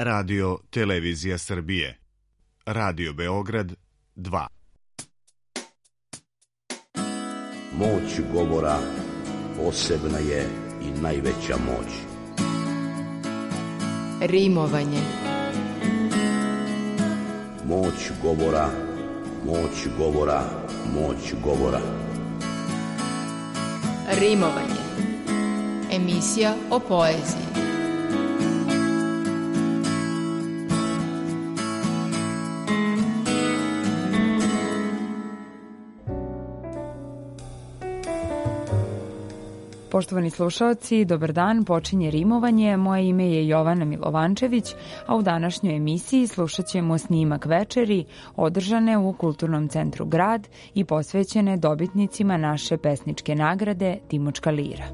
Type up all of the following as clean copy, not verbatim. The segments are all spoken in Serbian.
Radio Televizija Srbije. Radio Beograd 2. Moć govora posebna je i najveća moć. Rimovanje. Moć govora, moć govora, moć govora. Rimovanje. Emisija o poeziji. Poštovani slušaoci, dobar dan, počinje rimovanje. Moje ime je Jovana Milovančević, a u današnjoj emisiji slušat ćemo snimak večeri održane u Kulturnom centru Grad i posvećene dobitnicima naše pesničke nagrade Timočka lira.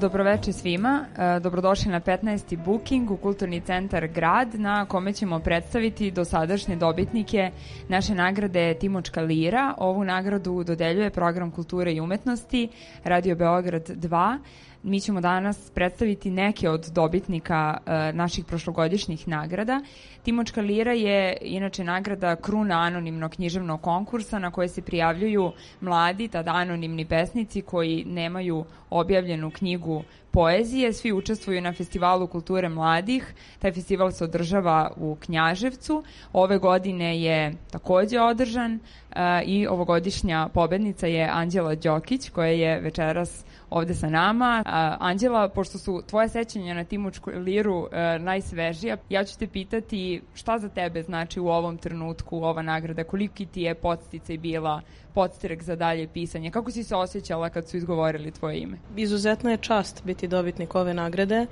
Dobroveče svima, dobrodošli na 15. booking u Kulturni centar Grad, na kome ćemo predstaviti dosadašnje dobitnike naše nagrade Timočka lira. Ovu nagradu dodeljuje Program kulture i umetnosti Radio Beograd 2. Mi ćemo danas predstaviti neke od dobitnika naših prošlogodišnjih nagrada. Timočka lira je inače nagrada kruna anonimnog književnog konkursa na koje se prijavljuju mladi, tada anonimni pesnici koji nemaju objavljenu knjigu poezije. Svi učestvuju na Festivalu kulture mladih. Taj festival se održava u Knjaževcu. Ove godine je takođe održan i ovogodišnja pobednica je Anđela Đokić, koja je večeras ovde sa nama. Anđela, pošto su tvoje sećanja na Timočku liru najsvežija, ja ću te pitati šta za tebe znači u ovom trenutku ova nagrada, koliki ti je podsticaj bila, podstrek za dalje pisanje, kako si se osjećala kad su izgovorili tvoje ime? Izuzetna je čast biti dobitnik ove nagrade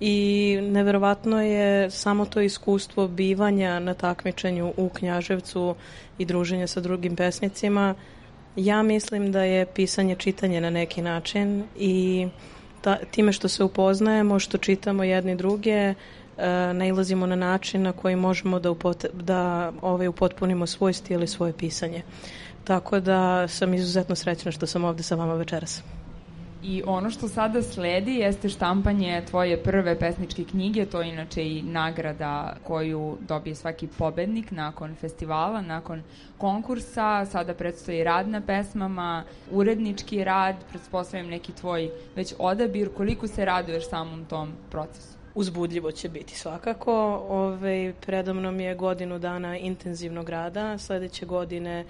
i neverovatno je samo to iskustvo bivanja na takmičenju u Knjaževcu i druženja sa drugim pesnicima. Ja mislim da je pisanje čitanje na neki način i time što se upoznajemo, što čitamo jedni druge, nailazimo na način na koji možemo da upotpunimo svoj stil i svoje pisanje. Tako da sam izuzetno srećna što sam ovde sa vama večeras. I ono što sada sledi jeste štampanje tvoje prve pesničke knjige, to je inače i nagrada koju dobije svaki pobednik nakon festivala, nakon konkursa. Sada predstoji rad na pesmama, urednički rad, pretpostavljam neki tvoj već odabir. Koliko se raduješ samom tom procesu? Uzbudljivo će biti svakako. Predamnom je godinu dana intenzivnog rada. Sledeće godine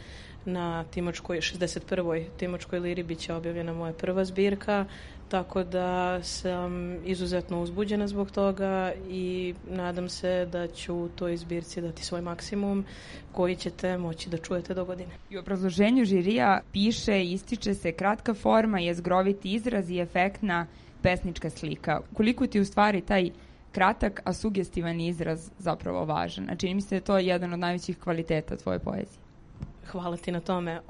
na 61. Timočkoj liri biće objavljena moja prva zbirka, tako da sam izuzetno uzbuđena zbog toga i nadam se da ću u toj zbirci dati svoj maksimum koji ćete moći da čujete do godine. I u obrazloženju žirija piše, ističe se kratka forma, jezgroviti izraz i efektna pesnička slika. Koliko ti u stvari taj kratak, a sugestivan izraz zapravo važan? Znači, čini mi se da je to jedan od najvećih kvaliteta tvoje poezije. Hvala ti na tome.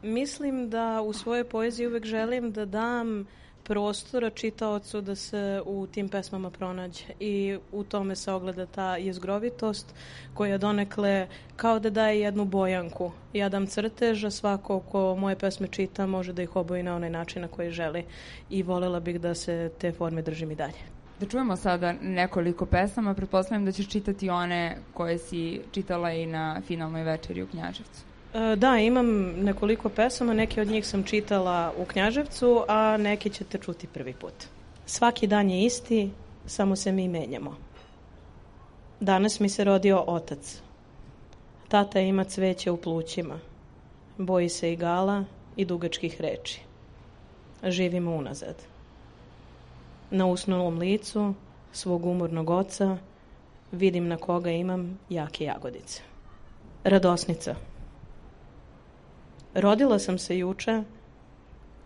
Mislim da u svojoj poeziji uvek želim da dam prostora čitaocu da se u tim pesmama pronađe i u tome se ogleda ta jezgrovitost koja donekle kao da daje jednu bojanku. Ja dam crtež, a svako ko moje pesme čita može da ih oboji na onaj način na koji želi i volela bih da se te forme držim i dalje. Da čujemo sada nekoliko pesama, pretpostavljam da ćeš čitati one koje si čitala i na finalnoj večeri u Knjaževcu. Da, imam nekoliko pesama, neke od njih sam čitala u Knjaževcu, a neke ćete čuti prvi put. Svaki dan je isti, samo se mi menjamo. Danas mi se rodio otac. Tata ima cveće u plućima. Boji se igala i dugačkih reči. Živimo unazad. Na usnulom licu svog umornog oca vidim na koga imam jake jagodice. Radosnica. Rodila sam se juče,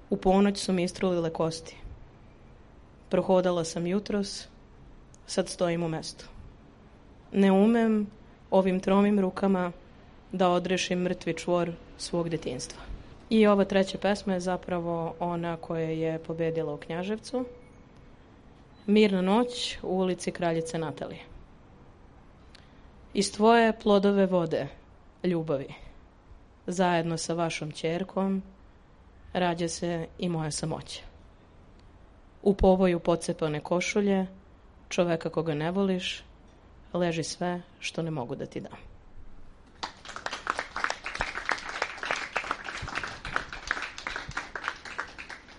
u ponoć su mi istrulile kosti. Prohodala sam jutros, sad stojim u mestu. Ne umem ovim tromim rukama da odrešim mrtvi čvor svog detinjstva. I ova treća pesma je zapravo ona koja je pobedila u Knjaževcu. Mirna noć u ulici Kraljice Natalije. Iz tvoje plodove vode, ljubavi, zajedno sa vašom ćerkom, rađa se i moja samoća. U povoju pocepane košulje, čoveka koga ne voliš, leži sve što ne mogu da ti dam.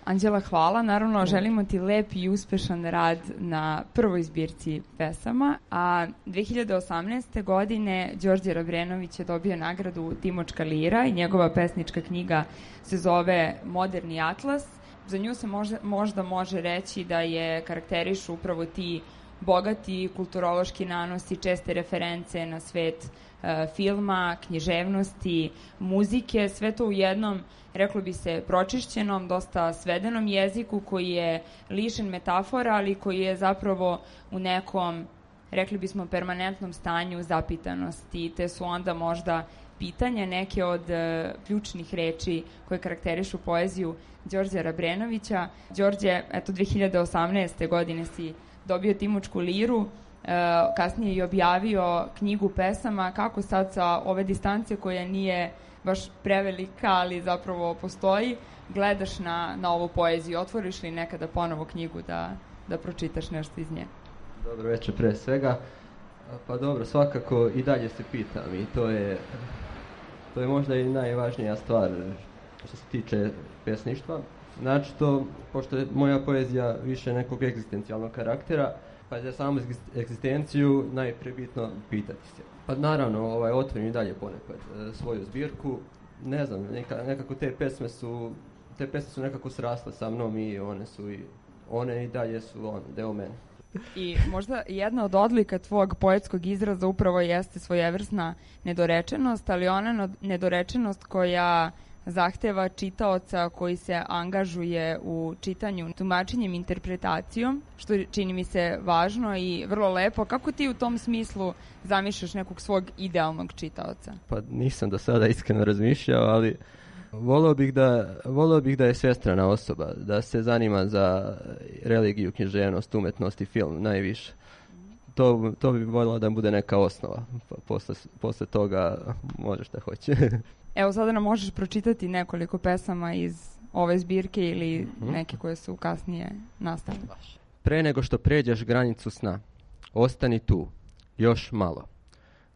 Anđela, hvala. Naravno, želimo ti lep i uspešan rad na prvoj zbirci pesama, a 2018. godine Đorđe Rabrenović je dobio nagradu Timočka lira i njegova pesnička knjiga se zove Moderni atlas. Za nju se možda može reći da je karakterišu upravo ti bogati kulturološki nanosi, česte reference na svet filma, književnosti, muzike, sve to u jednom, reklo bi se, pročišćenom, dosta svedenom jeziku koji je lišen metafora, ali koji je zapravo u nekom, rekli bismo, permanentnom stanju zapitanosti, te su onda možda pitanja neke od ključnih reči koje karakterišu poeziju Đorđa Rabrenovića. Đorđe, eto, 2018. godine si dobio Timočku liru, kasnije i objavio knjigu pesama. Kako sad sa ove distance koja nije baš prevelika, ali zapravo postoji, gledaš na ovu poeziju? Otvoriš li nekada ponovo knjigu da pročitaš nešto iz nje? Dobro večer pre svega. Pa dobro, svakako i dalje se pitam i to je možda i najvažnija stvar što se tiče pesništva. Znači to, pošto je moja poezija više nekog egzistencijalnog karaktera, pa za samu egzistenciju najprije bitno pitati se. Pa naravno, otvorim i dalje ponekad svoju zbirku. Ne znam, nekako te pesme su nekako srasle sa mnom i one i dalje su deo mene. I možda jedna od odlika tvog poetskog izraza upravo jeste svojevrsna nedorečenost, ali ona nedorečenost koja zahteva čitaoca koji se angažuje u čitanju, tumačenjem, interpretacijom, što čini mi se važno i vrlo lepo. Kako ti u tom smislu zamišljaš nekog svog idealnog čitaoca? Pa nisam do sada iskreno razmišljao, ali voleo bih da je svestrana osoba, da se zanima za religiju, književnost, umetnost i film najviše. To bi volila da bude neka osnova, pa posle toga može šta hoće. Evo, sada nam možeš pročitati nekoliko pesama iz ove zbirke ili neke koje su kasnije nastale. Pre nego što pređeš granicu sna, ostani tu, još malo.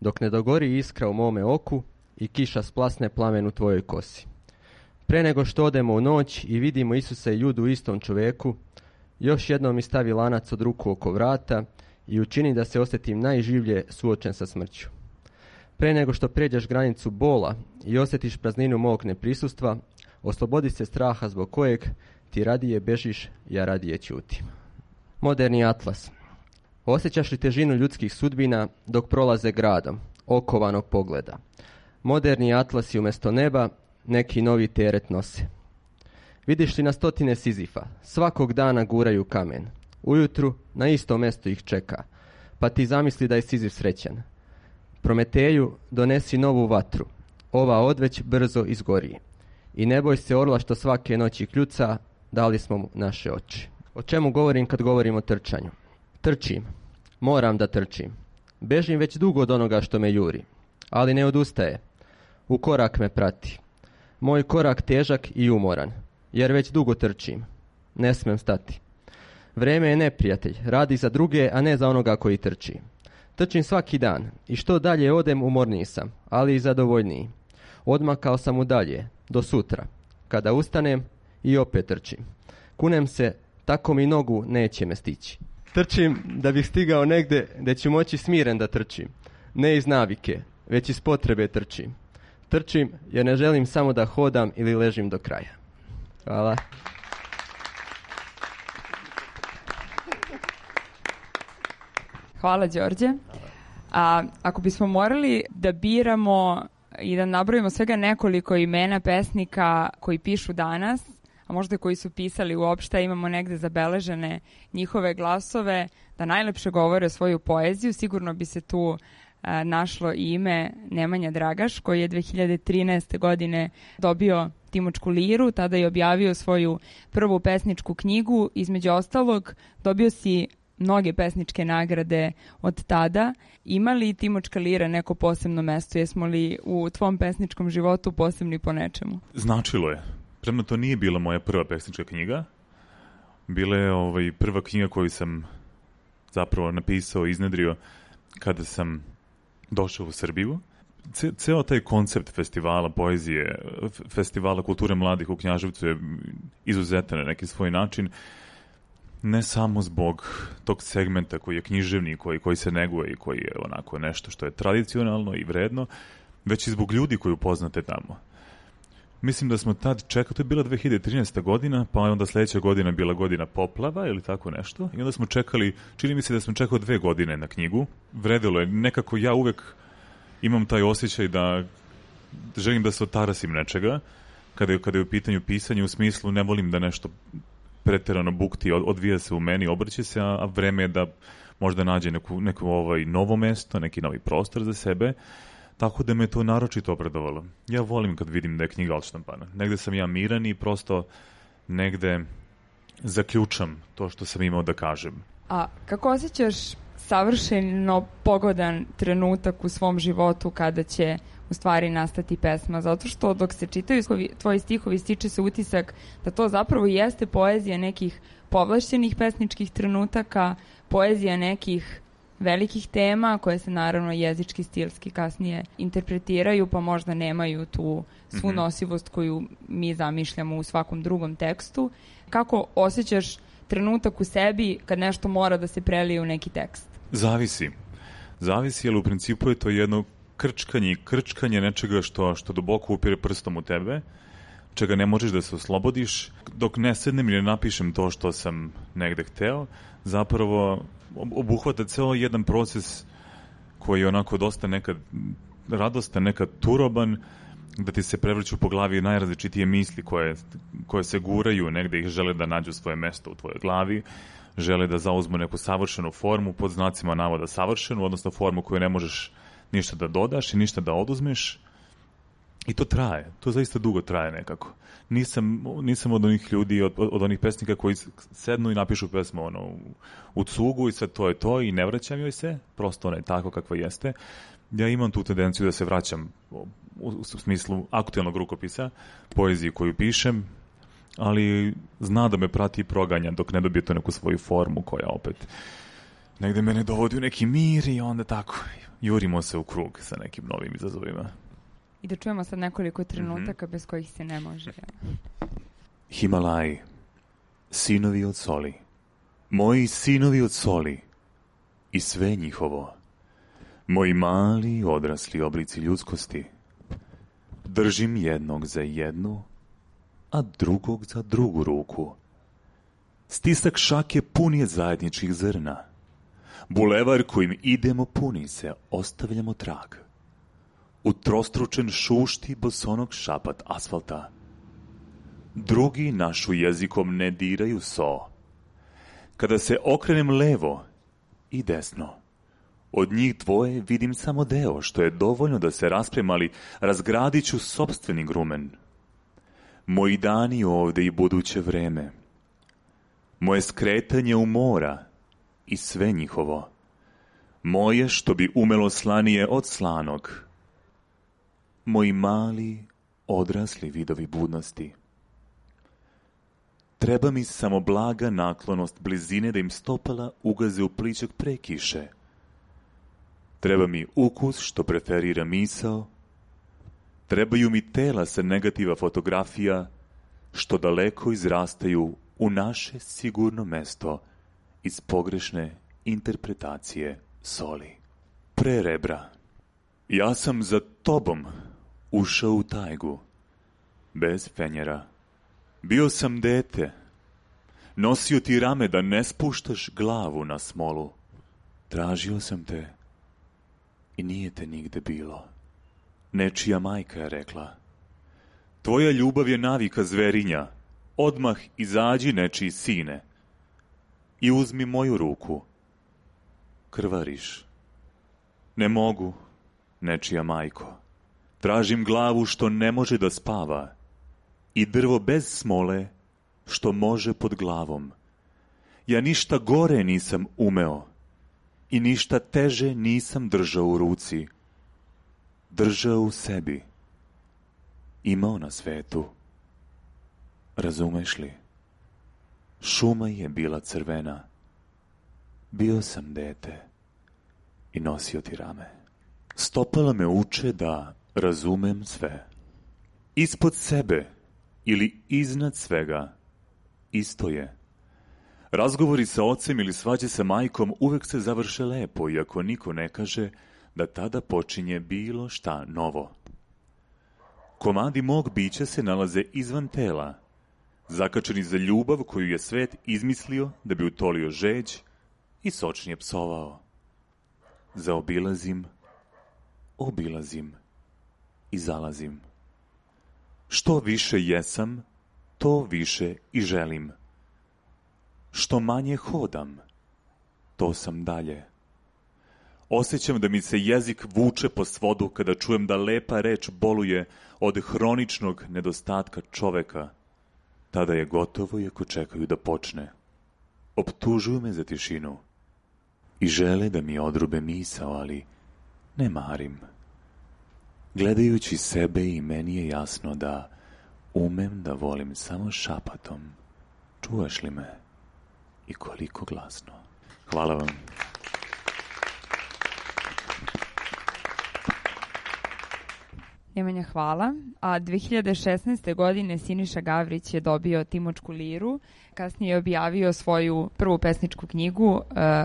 Dok ne dogori iskra u mome oku i kiša splasne plamen u tvojoj kosi. Pre nego što odemo u noć i vidimo Isusa i Judu u istom čoveku, još jednom mi stavi lanac od ruku oko vrata i učini da se osjetim najživlje suočen sa smrću. Pre nego što pređeš granicu bola i osjetiš prazninu mog neprisustva, oslobodi se straha zbog kojeg ti radije bežiš, ja radije ćutim. Moderni atlas. Osjećaš li težinu ljudskih sudbina dok prolaze gradom, okovanog pogleda? Moderni atlasi umjesto neba neki novi teret nose. Vidiš li na stotine Sizifa, svakog dana guraju kamen. Ujutru na isto mesto ih čeka, pa ti zamisli da je Sizif srećan. Prometeju, donesi novu vatru, ova odveć brzo izgori. I ne boj se orla što svake noći kljuca, dali smo mu naše oči. O čemu govorim kad govorim o trčanju? Trčim, moram da trčim. Bežim već dugo od onoga što me juri, ali ne odustaje. U korak me prati. Moj korak težak i umoran, jer već dugo trčim. Ne smem stati. Vreme je neprijatelj, radi za druge, a ne za onoga koji trči. Trčim svaki dan i što dalje odem umorniji sam, ali i zadovoljniji. Odmakao sam u dalje, do sutra. Kada ustanem i opet trčim. Kunem se, tako mi nogu neće me stići. Trčim da bih stigao negde gde ću moći smiren da trčim. Ne iz navike, već iz potrebe trčim. Trčim jer ne želim samo da hodam ili ležim do kraja. Hvala. Hvala, Đorđe. A ako bismo morali da biramo i da nabrojimo svega nekoliko imena pesnika koji pišu danas, a možda koji su pisali uopšte, imamo negde zabeležene njihove glasove, da najlepše govore svoju poeziju, sigurno bi se tu našlo i ime Nemanja Dragaš, koji je 2013. godine dobio Timočku liru, tada je objavio svoju prvu pesničku knjigu. Između ostalog, dobio si mnoge pesničke nagrade od tada. Ima li Timočka lira neko posebno mesto? Jesmo li u tvom pesničkom životu posebni po nečemu? Značilo je. Premno to nije bila moja prva pesnička knjiga. Bila je prva knjiga koju sam zapravo napisao i iznedrio kada sam došao u Srbiju. Ceo taj koncept festivala poezije, festivala kulture mladih u Knjaževcu je izuzetan na neki svoj način, ne samo zbog tog segmenta koji je književni, koji se neguje i koji je onako nešto što je tradicionalno i vredno, već i zbog ljudi koji upoznate tamo. Mislim da smo tad čekali, to je bila 2013. godina, pa onda sledeća godina bila godina poplava ili tako nešto, i onda smo čekali, čini mi se da smo čekali 2 godine na knjigu. Vredilo je, nekako ja uvek imam taj osjećaj da želim da se otarasim nečega, kada je u pitanju pisanje, u smislu ne volim da nešto preterano bukti, odvija se u meni, obrće se, a vreme je da možda nađe neko novo mesto, neki novi prostor za sebe, tako da me to naročito obradovalo. Ja volim kad vidim da je knjiga odštampana. Negde sam ja miran i prosto negde zaključam to što sam imao da kažem. A kako osjećaš savršeno pogodan trenutak u svom životu kada će u stvari nastati pesma? Zato što dok se čitaju tvoji stihovi stiče se utisak da to zapravo jeste poezija nekih povlašćenih pesničkih trenutaka, poezija nekih velikih tema koje se naravno jezički, stilski kasnije interpretiraju, pa možda nemaju tu svu nosivost koju mi zamišljamo u svakom drugom tekstu. Kako osjećaš trenutak u sebi kad nešto mora da se prelije u neki tekst? Zavisi, jer u principu je to jedno krčkanje nečega što duboko upire prstom u tebe, čega ne možeš da se oslobodiš. Dok ne sednem i ne napišem to što sam negde hteo, zapravo obuhvata ceo jedan proces koji je onako dosta nekad radostan, nekad turoban, da ti se prevrću po glavi najrazličitije misli koje se guraju, negde ih žele da nađu svoje mesto u tvojoj glavi, žele da zauzmu neku savršenu formu, pod znacima navoda savršenu, odnosno formu koju ne možeš ništa da dodaš i ništa da oduzmeš. I to traje, to zaista dugo traje nekako. Nisam od onih ljudi, od onih pesnika koji sednu i napišu pesmu u cugu i sve to je to i ne vraćam joj se, prosto ona je tako kakva jeste. Ja imam tu tendenciju da se vraćam u smislu aktuelnog rukopisa, poeziji koju pišem, ali zna da me prati i proganja dok ne dobije to neku svoju formu koja opet negde mene dovodi u neki mir i onda tako jurimo se u krug sa nekim novim izazovima. I da čujemo sad nekoliko trenutaka bez kojih se ne može. Himalaji, sinovi od soli, moji sinovi od soli i sve njihovo, moji mali odrasli oblici ljudskosti, držim jednog za jednu, a drugog za drugu ruku. Stisak šake pun je zajedničkih zrna, bulevar kojim idemo puni se, ostavljamo trag. Utrostručen šušti bosonog šapat asfalta. Drugi našu jezikom ne diraju so. Kada se okrenem levo i desno, od njih dvoje vidim samo deo, što je dovoljno da se raspremali, razgradit ću sopstveni grumen. Moji dani ovde i buduće vreme, moje skretanje u mora i sve njihovo, moje što bi umelo slanije od slanog, moji mali, odrasli vidovi budnosti. Treba mi samo blaga naklonost blizine da im stopala ugaze u pličak pre kiše. Treba mi ukus što preferira misao. Trebaju mi tela sa negativa fotografija što daleko izrastaju u naše sigurno mesto iz pogrešne interpretacije soli. Pre rebra. Ja sam za tobom ušao u tajgu, bez fenjera. Bio sam dete, nosio ti rame da ne spuštaš glavu na smolu. Tražio sam te i nije te nigde bilo. Nečija majka je rekla, tvoja ljubav je navika zverinja, odmah izađi nečiji sine i uzmi moju ruku. Krvariš. Ne mogu, nečija majko. Tražim glavu što ne može da spava i drvo bez smole što može pod glavom. Ja ništa gore nisam umeo i ništa teže nisam držao u ruci. Držao u sebi. Imao na svetu. Razumeš li? Šuma je bila crvena. Bio sam dete i nosio ti rame. Stopala me uče da razumem sve. Ispod sebe ili iznad svega isto je. Razgovori sa ocem ili svađe sa majkom uvek se završe lepo, iako niko ne kaže da tada počinje bilo šta novo. Komadi mog bića se nalaze izvan tela, zakačeni za ljubav koju je svet izmislio da bi utolio žeđ i sočnije psovao. Zaobilazim, obilazim i zalazim. Što više jesam, to više i želim. Što manje hodam, to sam dalje. Osjećam da mi se jezik vuče po svodu kada čujem da lepa reč boluje od hroničnog nedostatka čoveka. Tada je gotovo iako čekaju da počne. Optužuju me za tišinu i žele da mi odrube misao, ali ne marim. Gledajući sebe i meni je jasno da umem da volim samo šapatom. Čuješ li me? I koliko glasno. Hvala vam. Nemanja, hvala. A 2016. godine Siniša Gavrić je dobio Timočku liru. Kasnije je objavio svoju prvu pesničku knjigu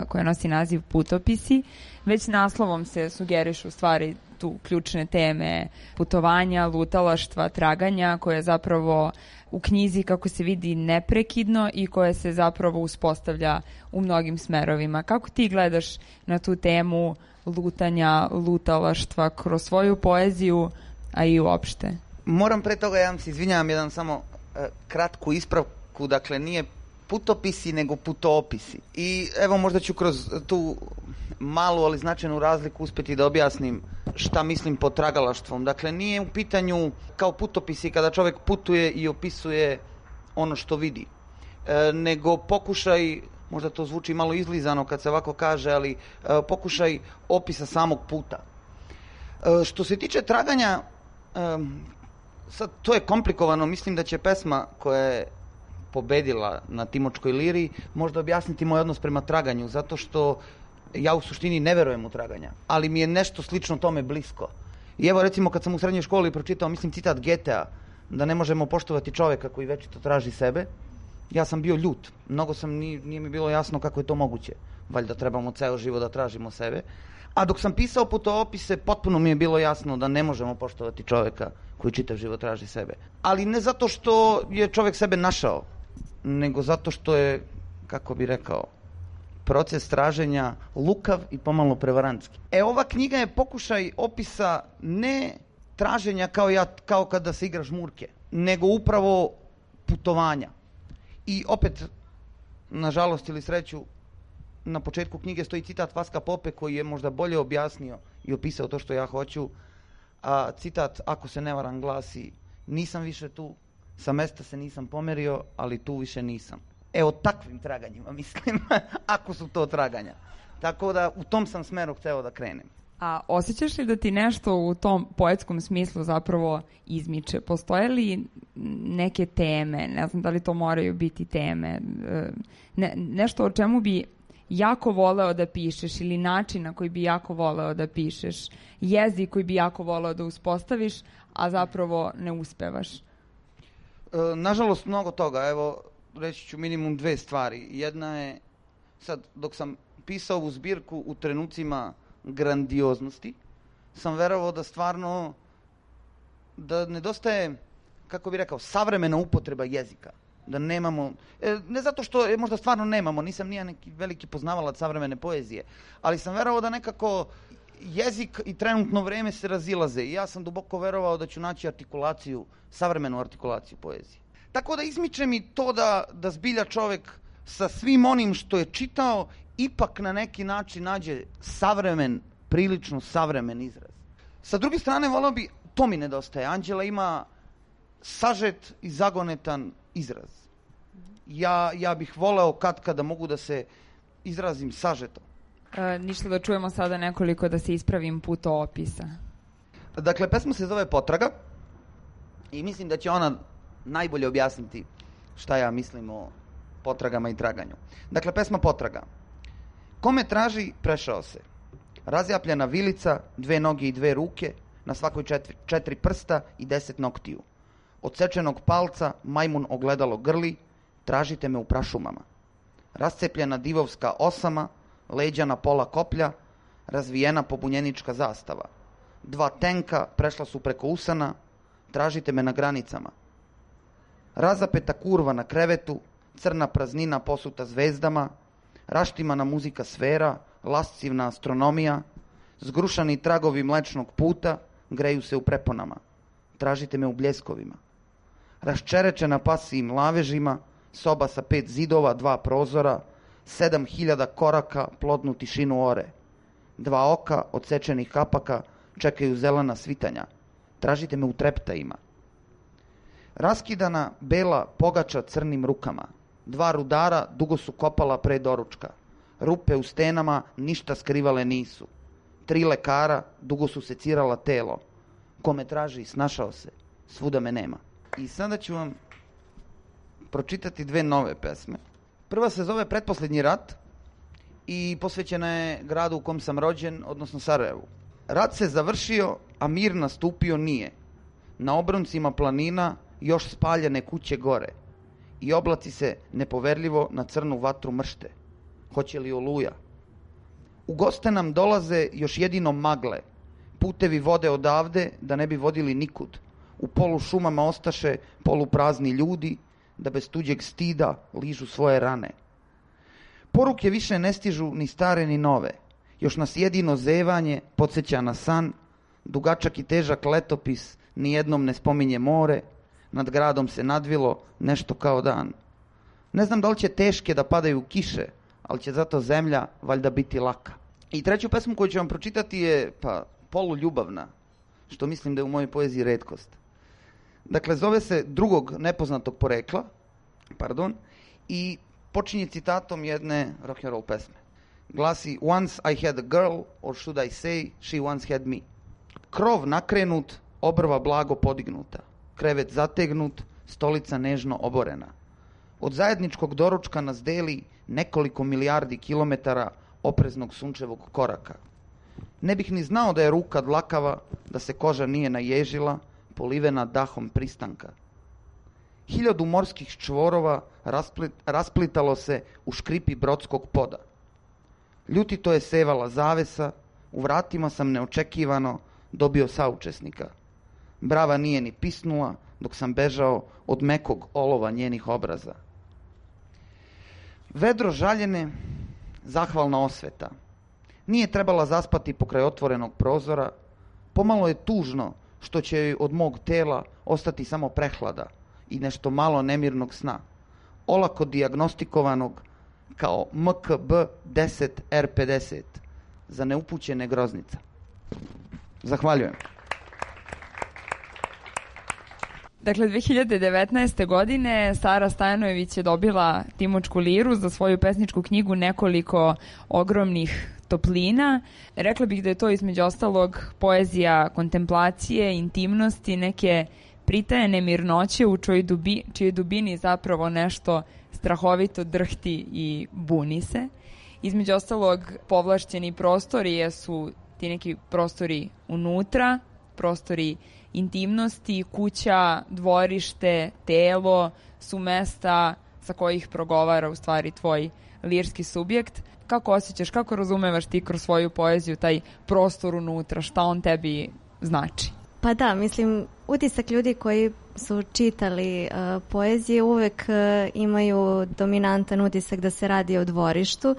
koja nosi naziv Putopisi. Već naslovom se sugerišu stvari tu ključne teme putovanja, lutalaštva, traganja, koje zapravo u knjizi, kako se vidi, neprekidno i koje se zapravo uspostavlja u mnogim smerovima. Kako ti gledaš na tu temu lutanja, lutalaštva kroz svoju poeziju, a i uopšte? Moram pre toga, ja vam se izvinjavam, jedan samo kratku ispravku, dakle nije putopisi nego putoopisi. I evo možda ću kroz tu malu ali značajnu razliku uspjeti da objasnim šta mislim pod tragalaštvom. Dakle, nije u pitanju kao putopisi kada čovjek putuje i opisuje ono što vidi, nego pokušaj, možda to zvuči malo izlizano kad se ovako kaže, ali pokušaj opisa samog puta. Što se tiče traganja, sad to je komplikovano, mislim da će pesma koja je pobedila na Timočkoj liri možda objasniti moj odnos prema traganju, zato što ja u suštini ne verujem u traganja, ali mi je nešto slično tome blisko. I evo recimo kad sam u srednjoj školi pročitao, mislim, citat Goethea, da ne možemo poštovati čovjeka koji večito traži sebe, ja sam bio ljut. Mnogo sam, nije mi bilo jasno kako je to moguće. Valjda trebamo ceo život da tražimo sebe. A dok sam pisao putoopise, potpuno mi je bilo jasno da ne možemo poštovati čovjeka koji čitav život traži sebe. Ali ne zato što je čovjek sebe našao, nego zato što je, kako bi rekao, proces traženja lukav i pomalo prevarantski. Ova knjiga je pokušaj opisa ne traženja kao kada se igra žmurke, nego upravo putovanja. I opet, nažalost ili sreću, na početku knjige stoji citat Vaska Pope koji je možda bolje objasnio i opisao to što ja hoću. A citat, ako se ne varam, glasi: nisam više tu, sa mesta se nisam pomerio, ali tu više nisam. O takvim traganjima mislim, ako su to traganja. Tako da u tom sam smeru hteo da krenem. A osjećaš li da ti nešto u tom poetskom smislu zapravo izmiče? Postoje li neke teme, ne znam da li to moraju biti teme, nešto o čemu bi jako voleo da pišeš ili način na koji bi jako voleo da pišeš, jezik koji bi jako voleo da uspostaviš, a zapravo ne uspevaš? Nažalost, mnogo toga. Evo, reći ću minimum dve stvari. Jedna je, sad, dok sam pisao ovu zbirku u trenucima grandioznosti, sam verovao da stvarno, da nedostaje, kako bi rekao, savremena upotreba jezika. Da nemamo, ne zato što možda stvarno nemamo, nisam nija neki veliki poznavalac savremene poezije, ali sam verovao da nekako jezik i trenutno vreme se razilaze i ja sam duboko verovao da ću naći artikulaciju, savremenu artikulaciju poezije. Tako da izmiče mi to da zbilja čovek sa svim onim što je čitao ipak na neki način nađe savremen, prilično savremen izraz. Sa druge strane, voleo bi, to mi nedostaje. Anđela ima sažet i zagonetan izraz. Ja bih voleo kada mogu da se izrazim sažetom. Ništa, da čujemo sada nekoliko, da se ispravim, putoopisa. Dakle, pesma se zove Potraga i mislim da će ona najbolje objasniti šta ja mislim o potragama i traganju. Dakle, pesma Potraga. Kome traži, prešao se. Razjapljena vilica, 2 noge i 2 ruke, na svakoj 4 prsta i 10 noktiju. Od sečenog palca majmun ogledalo grli, tražite me u prašumama. Rascepljena divovska osama, leđa na pola koplja, razvijena pobunjenička zastava. 2 tenka prešla su preko usana, tražite me na granicama. Razapeta kurva na krevetu, crna praznina posuta zvezdama, raštimana muzika sfera, lascivna astronomija, zgrušani tragovi mlečnog puta greju se u preponama. Tražite me u bljeskovima. Raščerečena pasijim lavežima, soba sa 5 zidova, 2 prozora, 7000 koraka plodnu tišinu ore. 2 oka odsečenih kapaka čekaju zelena svitanja. Tražite me u treptajima. Raskidana bela pogača crnim rukama. 2 rudara dugo su kopala pre doručka. Rupe u stenama ništa skrivale nisu. 3 lekara dugo su secirala telo. Ko me traži, snašao se. Svuda me nema. I sada ću vam pročitati 2 nove pesme. Prva se zove Pretposlednji rat i posvećena je gradu u kom sam rođen, odnosno Sarajevu. Rat se završio, a mir nastupio nije. Na obroncima planina još spaljene kuće gore i oblaci se nepoverljivo na crnu vatru mršte. Hoće li oluja? U goste nam dolaze još jedino magle. Putevi vode odavde da ne bi vodili nikud. U polu šumama ostaše poluprazni ljudi da bez tuđeg stida ližu svoje rane. Poruke više ne stižu ni stare ni nove. Još nas jedino zevanje podsjeća na san. Dugačak i težak letopis nijednom ne spominje more. Nad gradom se nadvilo nešto kao dan. Ne znam da li će teške da padaju kiše, ali će zato zemlja valjda biti laka. I treću pesmu koju ću vam pročitati je poluljubavna, što mislim da je u mojoj poeziji retkost. Dakle, zove se Drugog nepoznatog porekla, i počinje citatom jedne rock'n'roll pesme. Glasi: Once I had a girl, or should I say, she once had me. Krov nakrenut, obrva blago podignuta, krevet zategnut, stolica nežno oborena. Od zajedničkog doručka nas deli nekoliko milijardi kilometara opreznog sunčevog koraka. Ne bih ni znao da je ruka dlakava, da se koža nije naježila, polivena dahom pristanka. 1000 morskih čvorova rasplitalo se u škripi brodskog poda. Ljutito je sevala zavesa, u vratima sam neočekivano dobio saučesnika. Brava nije ni pisnula dok sam bežao od mekog olova njenih obraza. Vedro žaljene, zahvalna osveta. Nije trebala zaspati pokraj otvorenog prozora. Pomalo je tužno što će joj od mog tela ostati samo prehlada i nešto malo nemirnog sna, olako dijagnostikovanog kao MKB-10 R50 za neupućene groznica. Zahvaljujem. Dakle, 2019. godine Sara Stajanović je dobila Timočku liru za svoju pesničku knjigu Nekoliko ogromnih toplina. Rekla bih da je to između ostalog poezija kontemplacije, intimnosti, neke pritajene mirnoće u čijoj dubini zapravo nešto strahovito drhti i buni se. Između ostalog, povlašćeni prostori jesu ti neki prostori unutra, prostori intimnosti, kuća, dvorište, telo su mesta sa kojih progovara u stvari tvoj lirski subjekt. Kako osjećaš, kako razumevaš ti kroz svoju poeziju taj prostor unutra, šta on tebi znači? Pa da, mislim, utisak ljudi koji su čitali poezije uvek imaju dominantan utisak da se radi o dvorištu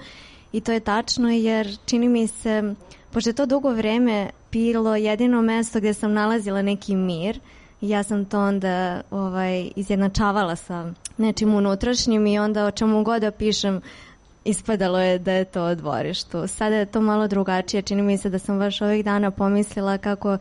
i to je tačno jer čini mi se, pošto je to dugo vreme bilo jedino mesto gdje sam nalazila neki mir i ja sam to onda izjednačavala sa nečim unutrašnjim i onda o čemu god da pišem ispadalo je da je to o dvorištu. Sada je to malo drugačije, čini mi se da sam baš ovih dana pomislila kako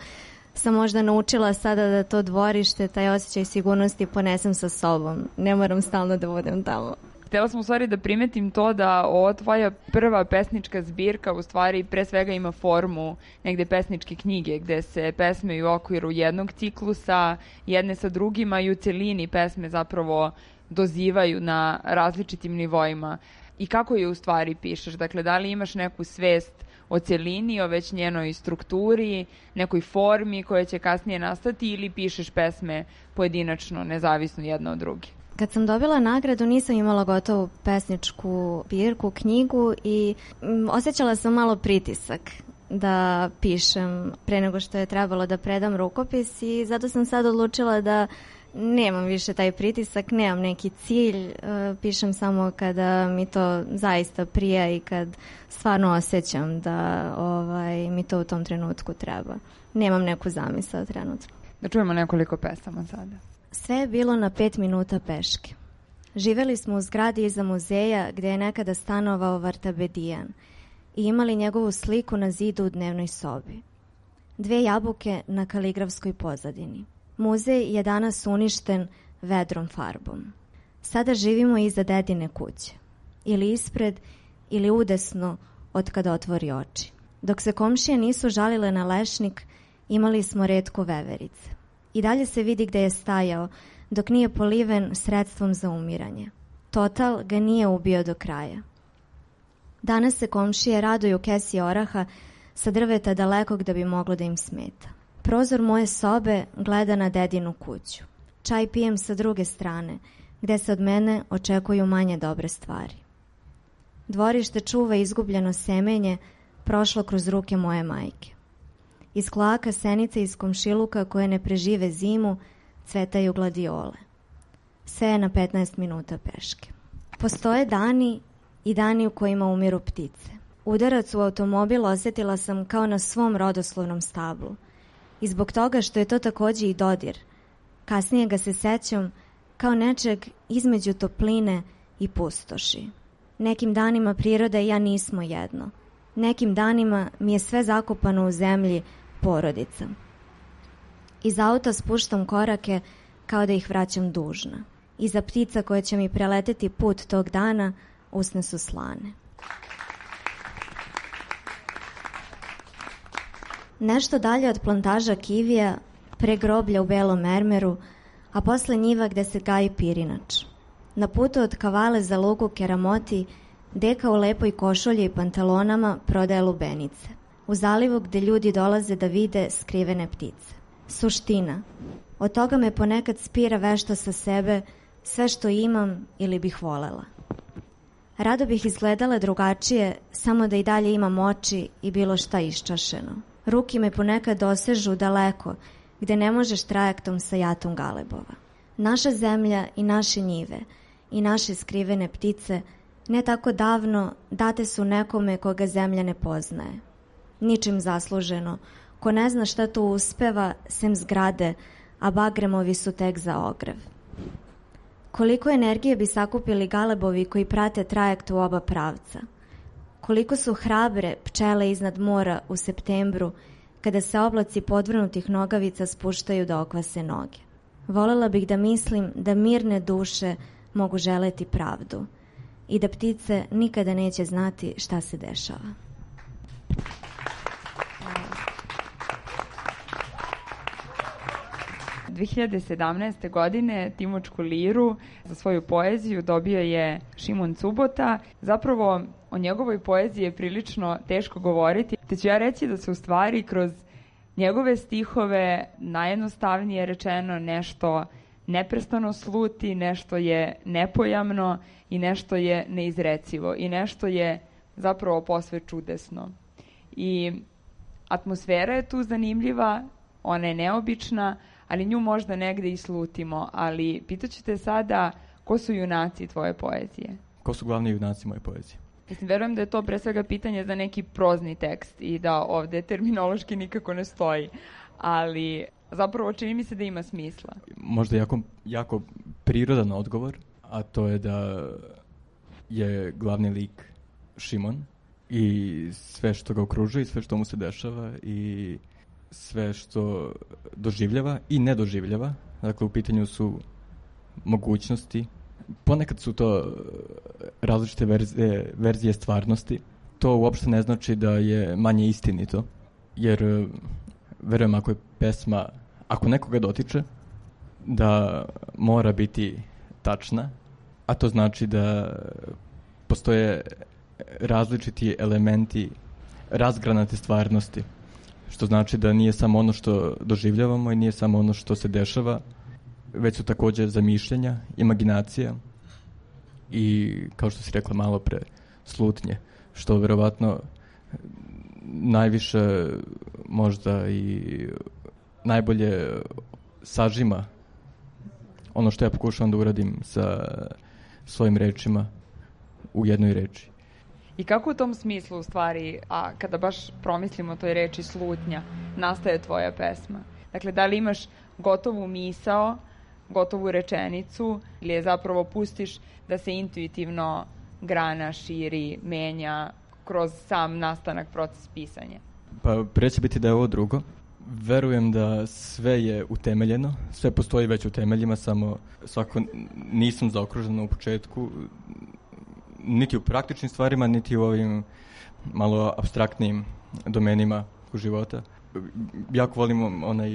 sam možda naučila sada da to dvorište, taj osjećaj sigurnosti ponesem sa sobom. Ne moram stalno da budem tamo. Htjela sam u stvari da primetim to da ova tvoja prva pesnička zbirka u stvari pre svega ima formu negde pesničke knjige gde se pesme u okviru jednog ciklusa, jedne sa drugima i u celini pesme zapravo dozivaju na različitim nivoima. i kako je u stvari pišeš? Dakle, da li imaš neku svest o celini, o već njenoj strukturi, nekoj formi koja će kasnije nastati ili pišeš pesme pojedinačno, nezavisno jedna od druge? Kad sam dobila nagradu nisam imala gotovu pesničku zbirku, knjigu i osjećala sam malo pritisak da pišem pre nego što je trebalo da predam rukopis i zato sam sad odlučila da nemam više taj pritisak, nemam neki cilj, pišem samo kada mi to zaista prija i kad stvarno osjećam da mi to u tom trenutku treba. Nemam neku zamisao trenutno. Da čujemo nekoliko pesama sada. Sve je bilo na 5 minuta peške. Živeli smo u zgradi iza muzeja gde je nekada stanovao Vartabedijan i imali njegovu sliku na zidu u dnevnoj sobi. 2 jabuke na kaligrafskoj pozadini. Muzej je danas uništen vedrom farbom. Sada živimo iza dedine kuće. Ili ispred, ili udesno od kada otvori oči. Dok se komšije nisu žalile na lešnik, imali smo retko veverice. I dalje se vidi gde je stajao, dok nije poliven sredstvom za umiranje. Total ga nije ubio do kraja. Danas se komšije raduju kesi oraha sa drveta dalekog da bi moglo da im smeta. Prozor moje sobe gleda na dedinu kuću. Čaj pijem sa druge strane, gde se od mene očekuju manje dobre stvari. Dvorište čuva izgubljeno semenje, prošlo kroz ruke moje majke. Iz kloaka senice iz komšiluka koje ne prežive zimu, cvetaju gladiole. Sve je na 15 minuta peške. Postoje dani i dani u kojima umiru ptice. Udarac u automobil osjetila sam kao na svom rodoslovnom stablu. I zbog toga što je to takođe i dodir. Kasnije ga se sećam kao nečeg između topline i pustoši. Nekim danima priroda i ja nismo jedno. Nekim danima mi je sve zakopano u zemlji porodica. Iz auta spuštam korake kao da ih vraćam dužna. Iza ptica koje će mi preleteti put tog dana usne su slane. Nešto dalje od plantaža kivija, pre groblja u belom mermeru, a posle njiva gde se gaji pirinač. Na putu od Kavale za lugu Keramoti, deka u lepoj košulji i pantalonama prodaje lubenice. U zalivu gde ljudi dolaze da vide skrivene ptice. Suština. Od toga me ponekad spira vešto sa sebe, sve što imam ili bih volela. Rado bih izgledala drugačije, samo da i dalje imam oči i bilo šta iščašeno. Ruki me ponekad dosežu daleko, gde ne možeš trajektom sa jatom galebova. Naša zemlja i naše njive i naše skrivene ptice ne tako davno date su nekome koga zemlja ne poznaje. Ničim zasluženo, ko ne zna šta tu uspeva, sem zgrade, a bagremovi su tek za ogrev. Koliko energije bi sakupili galebovi koji prate trajekt u oba pravca? Koliko su hrabre pčele iznad mora u septembru, kada se oblaci podvrnutih nogavica spuštaju da okvase noge? Volela bih da mislim da mirne duše mogu želeti pravdu i da ptice nikada neće znati šta se dešava. 2017. godine Timočku liru za svoju poeziju dobio je Šimon Cubota. Zapravo o njegovoj poeziji je prilično teško govoriti, te ću ja reći da se u stvari kroz njegove stihove najjednostavnije rečeno nešto neprestano sluti, nešto je nepojamno i nešto je neizrecivo i nešto je zapravo posve čudesno. I atmosfera je tu zanimljiva, ona je neobična, ali nju možda negde i slutimo. Ali pitaću te sada, ko su junaci tvoje poezije? Ko su glavni junaci moje poezije? Mislim, verujem da je to pre svega pitanje za neki prozni tekst i da ovde terminološki nikako ne stoji, ali zapravo čini mi se da ima smisla. Možda jako prirodan odgovor, a to je da je glavni lik Šimon i sve što ga okružuje i sve što mu se dešava i sve što doživljava i ne doživljava. Dakle, u pitanju su mogućnosti. Ponekad su to različite verzije stvarnosti. To uopšte ne znači da je manje istinito, jer verujem ako je pesma, ako nekoga dotiče, da mora biti tačna, a to znači da postoje različiti elementi razgranate stvarnosti, što znači da nije samo ono što doživljavamo i nije samo ono što se dešava, već su također zamišljenja, imaginacija i, kao što si rekla malo pre, slutnje, što verovatno najviše možda i najbolje sažima ono što ja pokušavam da uradim sa svojim rečima u jednoj reči. I kako u tom smislu, u stvari, a kada baš promislimo o toj reči slutnja, nastaje tvoja pesma? Dakle, da li imaš gotovu misao, gotovu rečenicu, ili je zapravo pustiš da se intuitivno grana, širi, menja kroz sam nastanak, proces pisanja? Pa pre će biti da je ovo drugo. Verujem da sve je utemeljeno, sve postoji već u temeljima, samo svako nisam zaokružen u početku, niti u praktičnim stvarima, niti u ovim malo apstraktnim domenima života. Jako volim onaj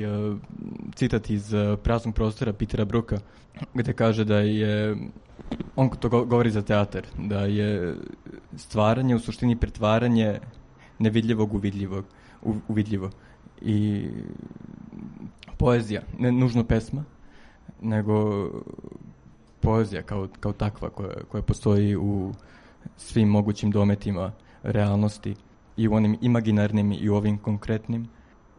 citat iz Praznog prostora Petera Brooka, gde kaže da je, on to govori za teatar, da je stvaranje u suštini pretvaranje nevidljivog u vidljivo. I poezija, ne nužno pesma, nego poezija kao takva koja postoji u svim mogućim dometima realnosti, i u onim imaginarnim i u ovim konkretnim,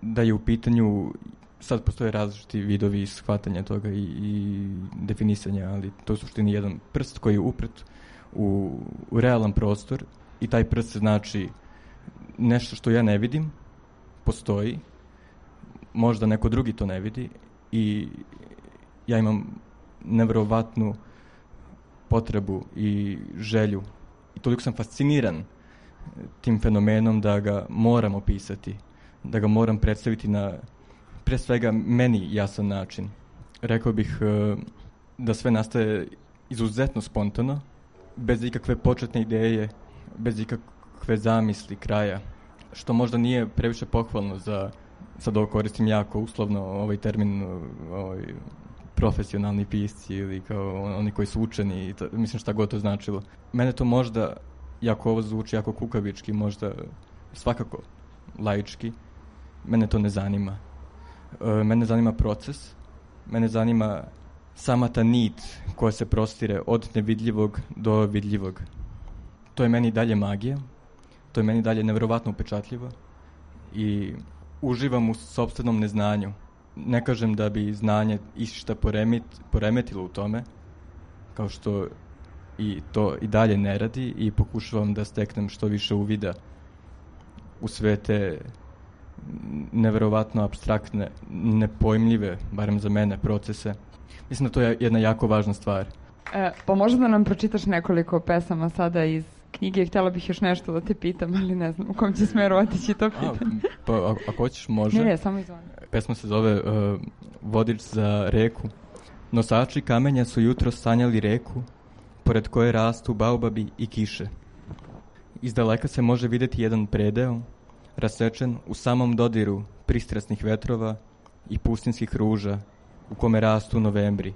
da je u pitanju, sad postoje različiti vidovi shvatanja toga i definisanja, ali to je u suštini jedan prst koji je upret u realan prostor, i taj prst znači nešto što ja ne vidim, postoji, možda neko drugi to ne vidi, i ja imam neverovatnu potrebu i želju, i toliko sam fasciniran tim fenomenom da ga moram opisati, da ga moram predstaviti na, pre svega, meni jasan način. Rekao bih da sve nastaje izuzetno spontano, bez ikakve početne ideje, bez ikakve zamisli kraja, što možda nije previše pohvalno za, sad ovo koristim jako uslovno ovaj termin, profesionalni pisci ili kao oni koji su učeni, mislim šta god to značilo. Mene to možda, jako ovo zvuči jako kukavički, možda svakako laički, mene to ne zanima. Mene zanima proces, mene zanima sama ta nit koja se prostire od nevidljivog do vidljivog. To je meni dalje magija, to je meni dalje neverovatno upečatljivo i uživam u sopstvenom neznanju. Ne kažem da bi znanje išta poremetilo u tome, kao što i to i dalje ne radi, i pokušavam da steknem što više uvida u sve te neverovatno apstraktne, nepojmljive, barem za mene, procese. Mislim da to je jedna jako važna stvar. Pa možda da nam pročitaš nekoliko pesama sada iz knjige. Htjela bih još nešto da te pitam, ali ne znam u kom će smeru otići to pitanje. Pa ako hoćeš, može. Ne, samo izvoni. Pesma se zove Vodič za reku. Nosači kamenja su jutro sanjali reku, pored koje rastu baobabi i kiše. Iz daleka se može vidjeti jedan predeo, rasečen u samom dodiru pristrasnih vetrova i pustinskih ruža, u kome rastu novembri,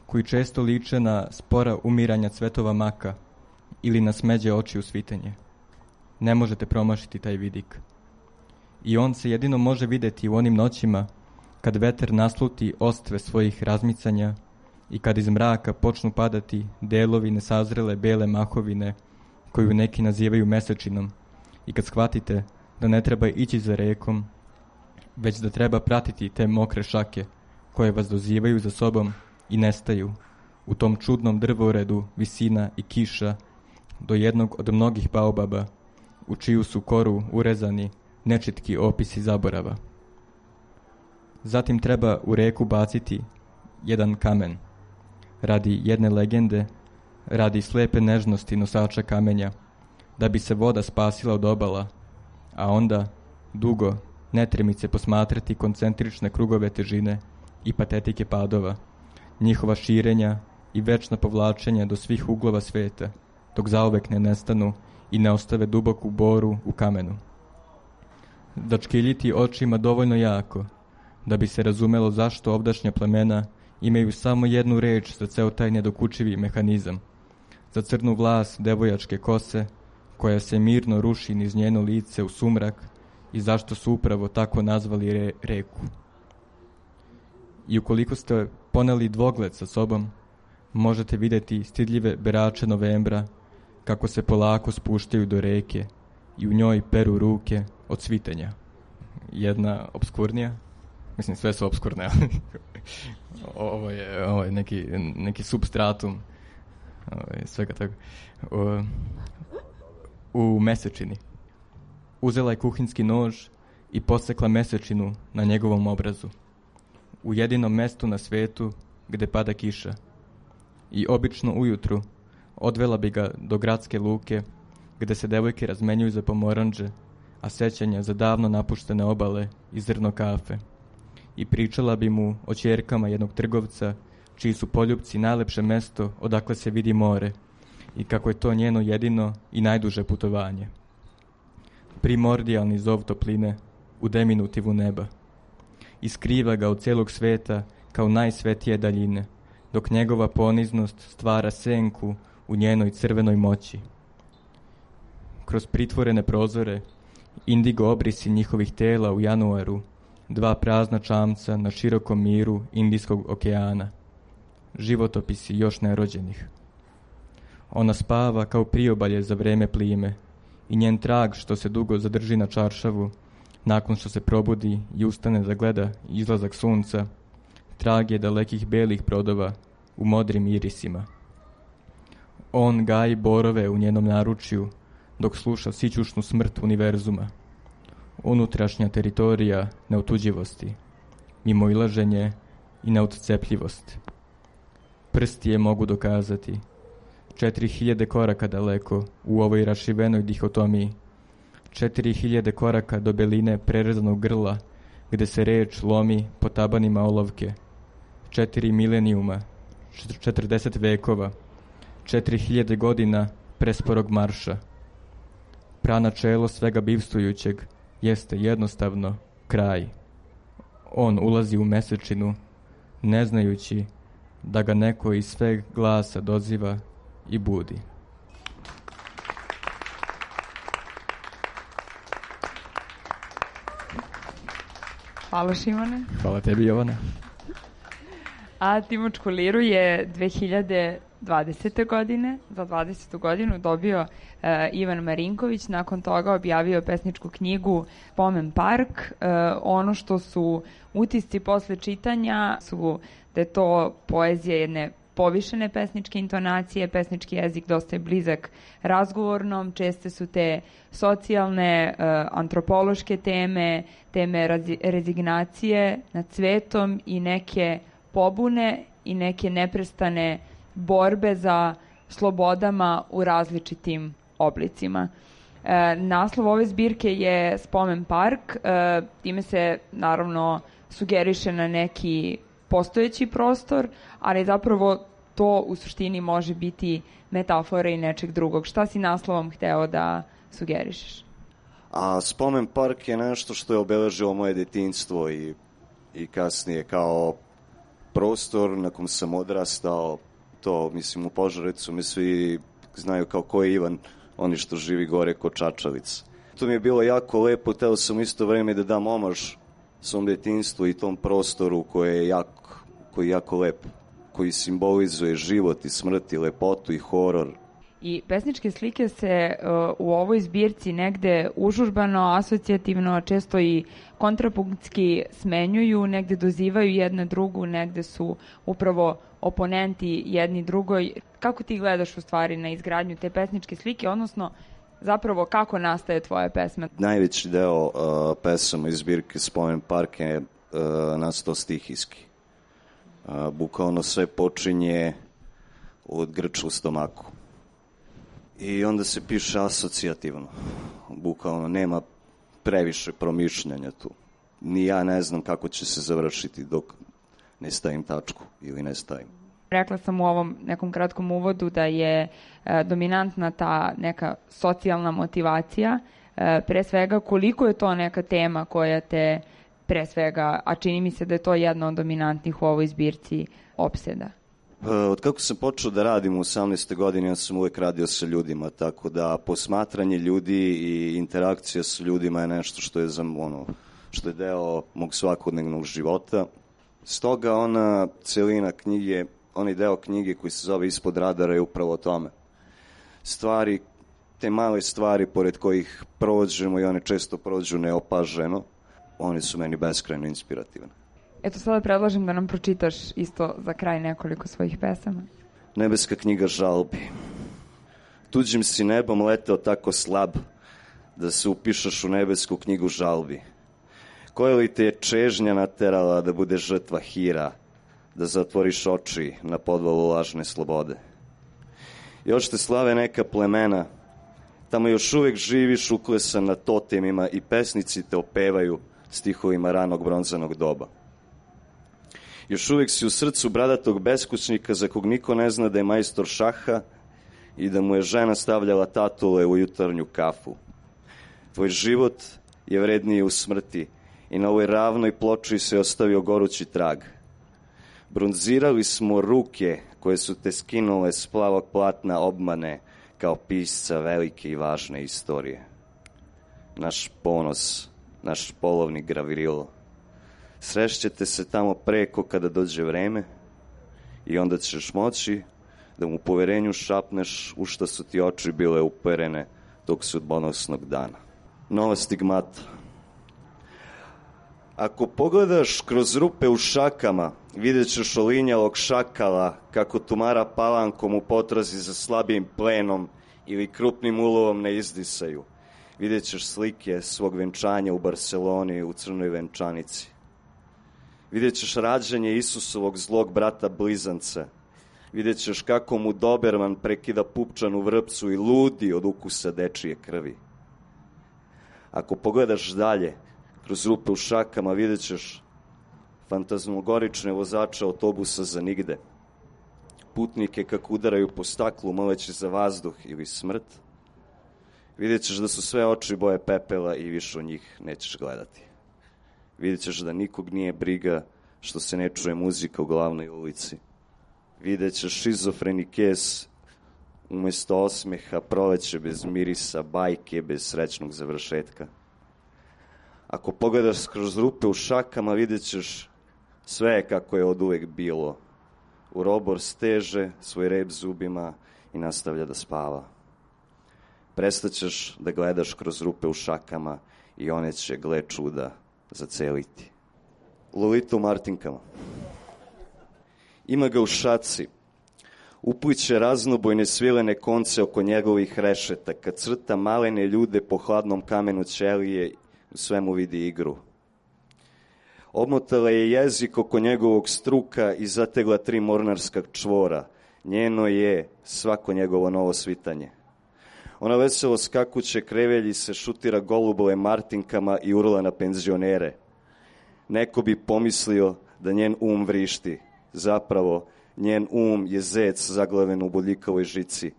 koji često liče na spora umiranja cvetova maka ili na smeđe oči u svitanje. Ne možete promašiti taj vidik. I on se jedino može vidjeti u onim noćima kad veter nasluti ostve svojih razmicanja i kad iz mraka počnu padati delovi nesazrele bele mahovine koju neki nazivaju mesečinom, i kad shvatite da ne treba ići za rekom, već da treba pratiti te mokre šake koje vas dozivaju za sobom i nestaju u tom čudnom drvoredu visina i kiša do jednog od mnogih baobaba u čiju su koru urezani nečitki opisi zaborava. Zatim treba u reku baciti jedan kamen, radi jedne legende, radi slepe nežnosti nosača kamenja, da bi se voda spasila od obala, a onda dugo, netremice posmatrati koncentrične krugove težine i patetike padova, njihova širenja i večna povlačenja do svih uglova sveta, dok zauvek ne nestanu i ne ostave duboku boru u kamenu. Začkiljiti očima dovoljno jako, da bi se razumelo zašto ovdašnja plemena imaju samo jednu reč za ceo taj nedokučivi mehanizam, za crnu vlas devojačke kose, koja se mirno ruši niz njeno lice u sumrak i zašto su upravo tako nazvali reku. I ukoliko ste poneli dvogled sa sobom, možete vidjeti stidljive berače novembra kako se polako spuštaju do reke i u njoj peru ruke od cvitenja. Jedna obskurnija, mislim sve su obskurne, ovo je neki substratum svega toga. U mesečini. Uzela je kuhinski nož i posekla mesečinu na njegovom obrazu. U jedinom mestu na svetu gde pada kiša. I obično ujutru odvela bi ga do gradske luke gde se devojke razmenjuju za pomoranđe, a sećanja za davno napuštene obale i zrno kafe. I pričala bi mu o ćerkama jednog trgovca čiji su poljupci najlepše mesto odakle se vidi more i kako je to njeno jedino i najduže putovanje. Primordijalni zov topline u deminutivu neba. I skriva ga od celog sveta kao najsvetije daljine, dok njegova poniznost stvara senku u njenoj crvenoj moći. Kroz pritvorene prozore, indigo obrisi njihovih tela u januaru, dva prazna čamca na širokom miru Indijskog okeana. Životopisi još nerođenih. Ona spava kao priobalje za vreme plime i njen trag što se dugo zadrži na čaršavu, nakon što se probudi i ustane da gleda izlazak sunca, trag je dalekih belih brodova u modrim irisima. On gaji borove u njenom naručju dok sluša sićušnu smrt univerzuma. Unutrašnja teritorija neotuđivosti, mimoilaženje i neodcepljivost. Prsti je mogu dokazati. 4000 koraka daleko u ovoj rašivenoj dihotomiji. 4000 koraka do beline prerezanog grla, gde se reč lomi po tabanima olovke. 4 milenijuma, 40 vekova, 4000 godina presporog marša. Pranačelo svega bivstvujućeg jeste jednostavno kraj. On ulazi u mesečinu, ne znajući da ga neko iz sveg glasa doziva i budi. Hvala, Šimone. Hvala tebi, Jovana. A Timočku liru je 2020. godine, za 20. godinu dobio Ivan Marinković, nakon toga objavio pesničku knjigu Spomen park. Ono što su utisci posle čitanja su da je to poezija jedne povišene pesničke intonacije, pesnički jezik dosta je blizak razgovornom, česte su te socijalne, antropološke teme, teme rezignacije nad svetom i neke pobune i neke neprestane borbe za slobodama u različitim oblicima. Naslov ove zbirke je Spomen park, time se naravno sugeriše na neki postojeći prostor, ali zapravo to u suštini može biti metafora i nečeg drugog. Šta si naslovom hteo da sugerišeš? A Spomen park je nešto što je obeležilo moje detinjstvo i kasnije kao prostor na kom sam odrastao. To, mislim, u Požarevcu mi svi znaju kao ko je Ivan, oni što živi gore kod Čačavica. To mi je bilo jako lepo, teo sam isto vreme da dam omaž svom detinjstvu i tom prostoru koji je jako lep, koji simbolizuje život i smrt i lepotu i horor. I pesničke slike se u ovoj zbirci negde užurbano, asocijativno, često i kontrapunktski smenjuju, negde dozivaju jedna drugu, negde su upravo oponenti jedni drugoj. Kako ti gledaš u stvari na izgradnju te pesničke slike, odnosno zapravo kako nastaje tvoja pesma? Najveći deo pesama iz zbirke Spomen park je nastao stihijski. Bukvalno sve počinje od grča u stomaku. I onda se piše asocijativno. Bukvalno nema previše promišljanja tu. Ni ja ne znam kako će se završiti dok ne stavim tačku ili ne stavim. Rekla sam u ovom nekom kratkom uvodu da je dominantna ta neka socijalna motivacija. Pre svega, koliko je to neka tema koja te pre svega, a čini mi se da je to jedna od dominantnih u ovoj zbirci, opseda? Od kako sam počeo da radim u 18. godini, ja sam uvek radio sa ljudima, tako da posmatranje ljudi i interakcija sa ljudima je nešto što je, što je deo mog svakodnevnog života. Stoga ona celina knjige, onaj deo knjige koji se zove Ispod radara je upravo o tome. Stvari, te male stvari pored kojih prođemo i one često prođu neopaženo, one su meni beskrajno inspirativne. Eto, sada predlažem da nam pročitaš isto za kraj nekoliko svojih pesama. Nebeska knjiga žalbi. Tuđim si nebom leteo tako slab da se upišeš u nebesku knjigu žalbi. Koja li te je čežnja naterala da bude žrtva hira, da zatvoriš oči na podvalu lažne slobode? Još te slave neka plemena, tamo još uvek živiš uklesan na totemima i pesnici te opevaju stihovima ranog bronzanog doba. Još uvek si u srcu bradatog beskućnika za kog niko ne zna da je majstor šaha i da mu je žena stavljala tatule u jutarnju kafu. Tvoj život je vredniji u smrti i na ovoj ravnoj ploči se ostavio gorući trag. Bronzirali smo ruke koje su te skinule s plavog platna obmane kao pisca velike i važne istorije. Naš ponos, naš polovni gravirilo. Srešćete se tamo preko kada dođe vreme i onda ćeš moći da mu u poverenju šapneš u šta su ti oči bile uperene tog sudbonosnog dana. Nova stigmata. Ako pogledaš kroz rupe u šakama, vidjet ćeš olinjalog šakala kako tumara palankom u potrazi za slabijim plenom ili krupnim ulovom ne izdisaju. Vidjet ćeš slike svog venčanja u Barceloni u crnoj venčanici. Vidjet ćeš rađanje Isusovog zlog brata blizanca. Vidjet ćeš kako mu Doberman prekida pupčanu vrpcu i ludi od ukusa dečije krvi. Ako pogledaš dalje, kroz rupe u šakama vidjet ćeš fantazmogorične vozače autobusa za nigde. Putnike kako udaraju po staklu moleći za vazduh ili smrt. Vidjet ćeš da su sve oči boje pepela i više od njih nećeš gledati. Vidjet ćeš da nikog nije briga što se ne čuje muzika u glavnoj ulici. Vidjet ćeš šizofreni kes umesto osmeha, proleće bez mirisa, bajke bez srećnog završetka. Ako pogledaš kroz rupe u šakama, vidjet ćeš sve kako je od uvek bilo. Urobor steže svoj rep zubima i nastavlja da spava. Prestaćeš da gledaš kroz rupe u šakama i one će, gle čuda, zaceliti. Lolita u Martinkama. Ima ga u šaci. Upliće raznobojne svilene konce oko njegovih rešeta, kad crta malene ljude po hladnom kamenu ćelije, u svemu vidi igru. Obmotala je jezik oko njegovog struka i zategla 3 mornarska čvora. Njeno je svako njegovo novo svitanje. Ona veselo skakuće krevelji se šutira golubove Martinkama i urla na penzionere. Neko bi pomislio da njen um vrišti. Zapravo, njen um je zec zaglaven u bodljikavoj žici.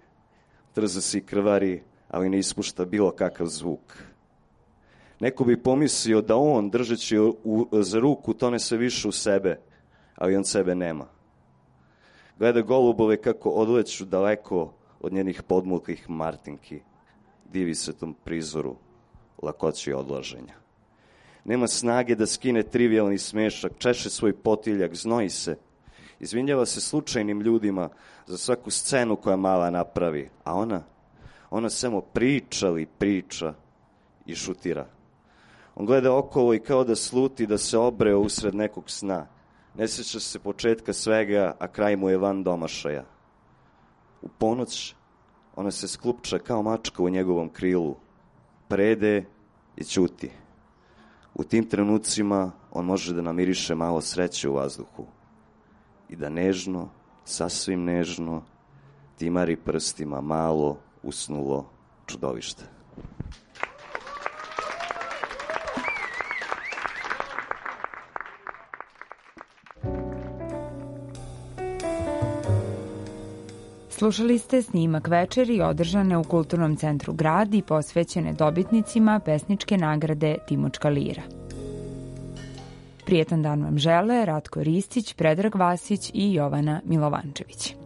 Trza se i krvari, ali ne ispušta bilo kakav zvuk. Neko bi pomislio da on, držeći za ruku, tone sve više u sebe, ali on sebe nema. Gleda golubove kako odleću daleko od njenih podmuklih Martinki. Divi se tom prizoru lakoći odlaženja. Nema snage da skine trivialni smešak, češe svoj potiljak, znoji se. Izvinjava se slučajnim ljudima za svaku scenu koja mala napravi. A ona samo priča i šutira. On gleda okolo i kao da sluti da se obreo usred nekog sna. Ne sjeća se početka svega, a kraj mu je van domašaja. U ponoć ona se sklupča kao mačka u njegovom krilu. Prede i ćuti. U tim trenucima on može da namiriše malo sreće u vazduhu i da nežno, sasvim nežno, timari prstima malo usnulo čudovište. Slušali ste snimak večeri održane u Kulturnom centru Grad i posvećene dobitnicima pesničke nagrade Timočka lira. Prijetan dan vam žele Ratko Ristić, Predrag Vasić i Jovana Milovančević.